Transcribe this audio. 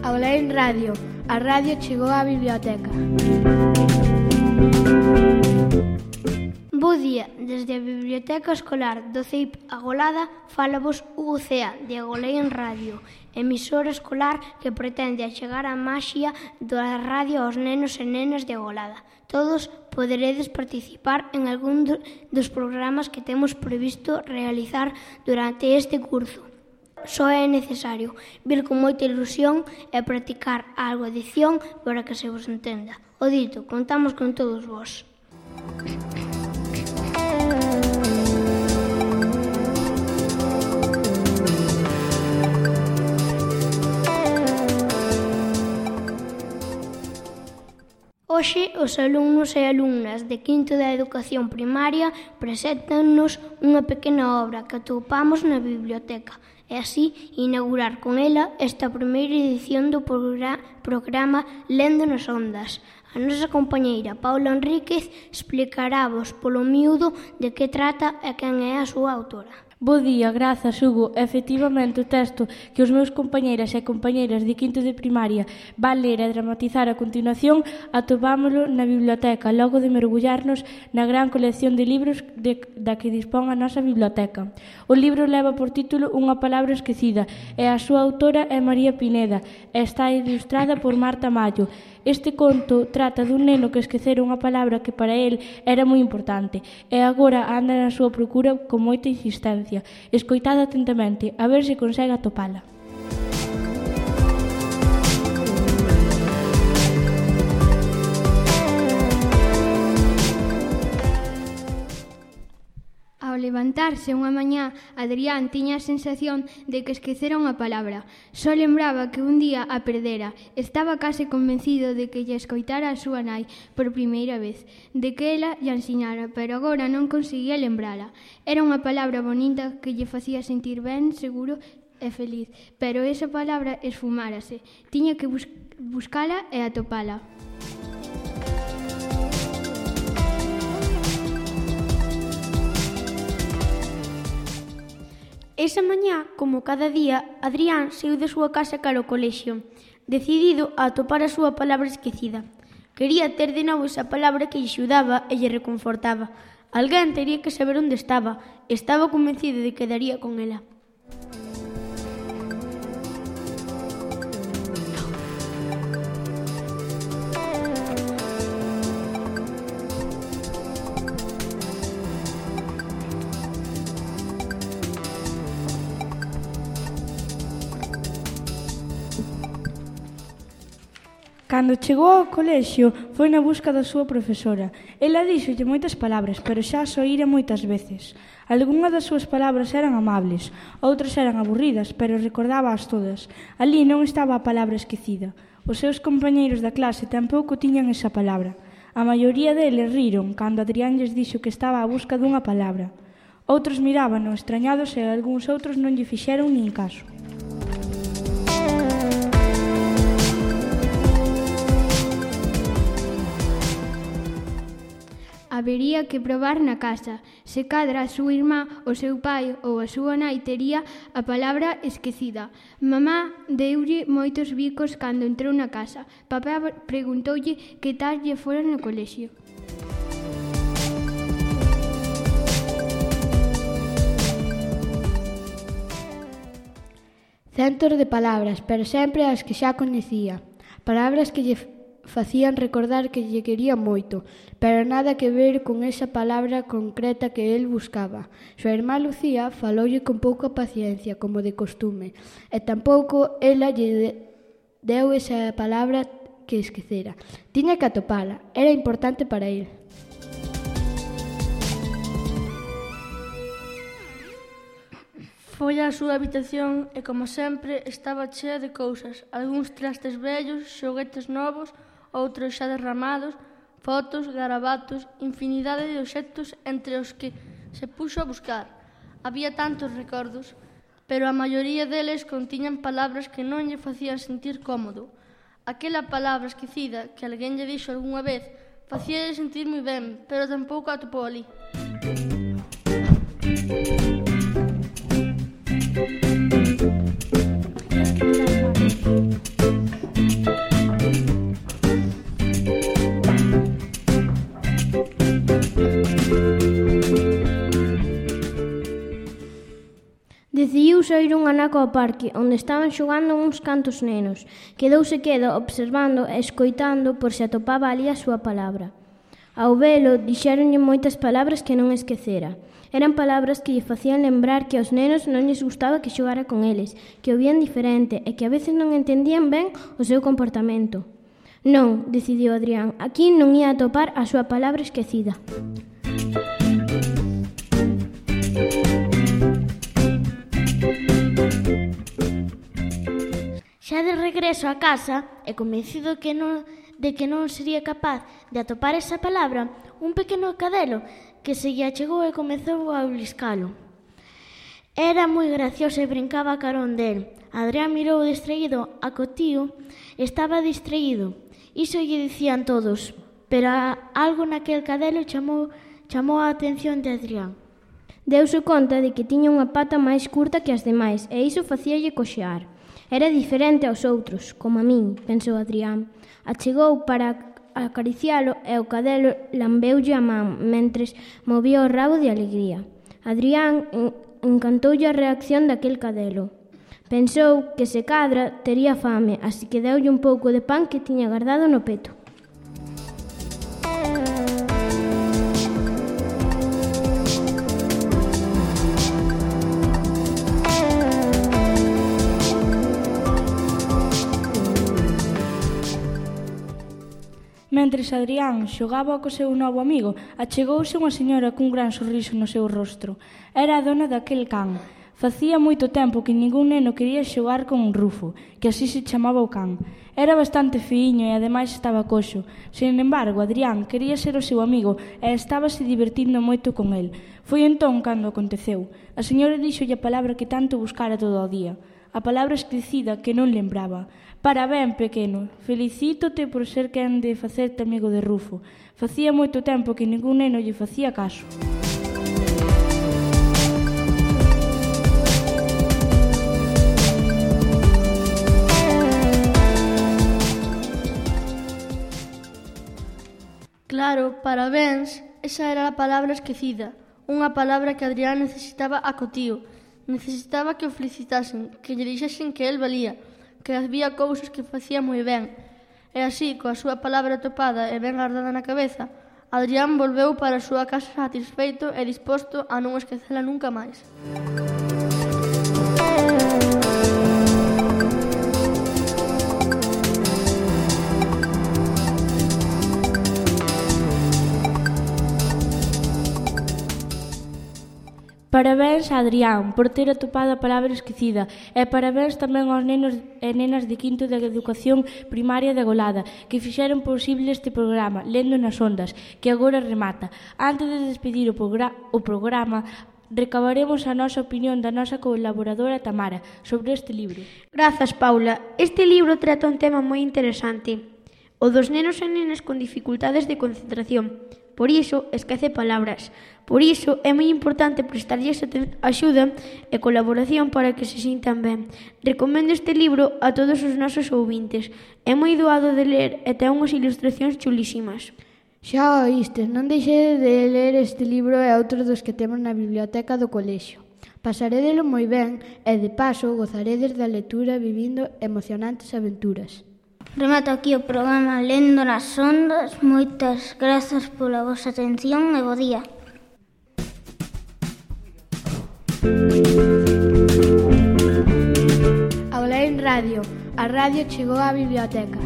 Aula en Radio. A radio chegou á biblioteca. Bo día, desde a Biblioteca Escolar do CEIP Agolada fálabos Hugo Cea, de Agolei en Radio, emisora escolar que pretende achegar a maxia da radio aos nenos e nenas de Agolada. Todos poderedes participar en algún dos programas que temos previsto realizar durante este curso. Só é necesario vir con moita ilusión e practicar algo de dicción para que se vos entenda. O dito, contamos con todos vos. Hoxe, os alumnos e alumnas de quinto da educación primaria preséntannos unha pequena obra que atopamos na biblioteca e así inaugurar con ela esta primeira edición do programa Lendo nas Ondas. A nosa compañeira Paula Enríquez explicarávos polo miúdo de que trata e quen é a súa autora. Bo día, grazas, Hugo. Efectivamente, o texto que os meus compañeiras e compañeiras de quinto de primaria van ler e dramatizar a continuación atopámoslo na biblioteca, logo de mergullarnos na gran colección de libros da que dispón a nosa biblioteca. O libro leva por título Unha palabra esquecida e a súa autora é María Pineda e está ilustrada por Marta Mallo. Este conto trata dun neno que esquecera unha palabra que para el era moi importante e agora anda na súa procura con moita insistencia. Escoitade atentamente, a ver se consegue atopala. Ao levantarse unha mañá, Adrián tiña a sensación de que esquecera unha palabra. Só lembraba que un día a perdera. Estaba case convencido de que lle escoitara a súa nai por primeira vez, de que ela lle ensinara, pero agora non conseguía lembrala. Era unha palabra bonita que lle facía sentir ben, seguro e feliz, pero esa palabra esfumárase. Tiña que buscala e atopala. Esa mañá, como cada día, Adrián saiu da súa casa cara ao colexio, decidido a atopar a súa palabra esquecida. Quería ter de novo esa palabra que lle axudaba e lle reconfortaba. Alguén tería que saber onde estaba. Estaba convencido de que daría con ela. Cando chegou ao colexio, foi na busca da súa profesora. Ela díxolle moitas palabras, pero xa as oíra moitas veces. Algunhas das súas palabras eran amables, outras eran aburridas, pero recordábaas todas. Ali non estaba a palabra esquecida. Os seus compañeiros da clase tampouco tiñan esa palabra. A maioría deles riron cando Adrián lles dixo que estaba á busca dunha palabra. Outros mirábano extrañados e algúns outros non lle fixeron nin caso. Habería que probar na casa. Se cadra a súa irmá, o seu pai ou a súa nai tería a palabra esquecida. Mamá deulle moitos bicos cando entrou na casa. Papá preguntoulle que tal lle fora no colexio. Centos de palabras, pero sempre as que xa coñecía. Palabras que lle facían recordar que lle quería moito, pero nada que ver con esa palabra concreta que el buscaba. Súa irmá Lucía faloulle con pouca paciencia, como de costume, e tampouco ela lle deu esa palabra que esquecera. Tiña que atopala, era importante para el. Foi á súa habitación e, como sempre, estaba chea de cousas. Algúns trastes vellos, xoguetes novos, outros xa derramados, fotos, garabatos, infinidade de obxectos entre os que se puxo a buscar. Había tantos recordos, pero a maioría deles contiñan palabras que non lle facían sentir cómodo. Aquela palabra esquecida que alguén lle dixo algunha vez facíalle sentir moi ben, pero tampouco a atopou ali. Decidiu saír un anaco ao parque, onde estaban xogando uns cantos nenos. Quedouse quedo observando e escoitando por se atopaba ali a súa palabra. Ao velo, dixéronlle moitas palabras que non esquecera. Eran palabras que lle facían lembrar que aos nenos non lles gustaba que xogara con eles, que o vían diferente e que a veces non entendían ben o seu comportamento. Non, decidiu Adrián, aquí non ia atopar a súa palabra esquecida. Xa de regreso a casa, e convencido de que non sería capaz de atopar esa palabra, un pequeno cadelo que se lle achegou e comezou a bliscalo. Era moi gracioso e brincaba a carón del. Adrián mirou distraído a que o tío estaba distraído. Iso lle dicían todos, pero algo naquel cadelo chamou a atención de Adrián. Deuse conta de que tiña unha pata máis curta que as demais, e iso facíalle coxear. Era diferente aos outros, como a min, pensou Adrián. Achegou para acaricialo e o cadelo lambeulle a man, mentres movía o rabo de alegría. Adrián encantoulle a reacción daquel cadelo. Pensou que se cadra tería fame, así que deulle un pouco de pan que tiña guardado no peto. Mentres Adrián xogaba co seu novo amigo, achegouse unha señora cun gran sorriso no seu rostro. Era a dona daquel can. Facía moito tempo que ningún neno quería xogar con Rufo, que así se chamaba o can. Era bastante fiiño e ademais estaba coxo. Sen embargo, Adrián quería ser o seu amigo e estábase divertindo moito con el. Foi entón cando aconteceu. A señora díxolle a palabra que tanto buscara todo o día. A palabra esquecida que non lembraba. Parabén, pequeno, felicítote por ser quen de facerte amigo de Rufo. Facía moito tempo que ningún neno lle facía caso. Claro, parabéns, esa era a palabra esquecida. Unha palabra que Adrián necesitaba a cotío. Necesitaba que o felicitasen, que lle dixesen que el valía, que había cousas que facía moi ben. E así, coa súa palabra topada e ben guardada na cabeza, Adrián volveu para a súa casa satisfeito e disposto a non esquecela nunca máis. Parabéns a Adrián por ter atopado a palabra esquecida e parabéns tamén aos nenos e nenas de quinto de educación primaria de Agolada que fixeron posible este programa Lendo nas Ondas, que agora remata. Antes de despedir o programa, recabaremos a nosa opinión da nosa colaboradora Tamara sobre este libro. Grazas, Paula. Este libro trata un tema moi interesante, o dos nenos e nenas con dificultades de concentración. Por iso, esquece palabras. Por iso, é moi importante prestarlles axuda e colaboración para que se sintan ben. Recomendo este libro a todos os nosos ouvintes. É moi doado de ler e ten unhas ilustracións chulísimas. Xa oístes, non deixe de ler este libro e outros dos que temos na biblioteca do colexio. Pasarédelo moi ben e, de paso, gozaredes da lectura vivindo emocionantes aventuras. Remata aquí o programa Lendo nas Ondas. Moitas grazas pola vosa atención e bo día. Agolaín Radio, a radio chegou á biblioteca.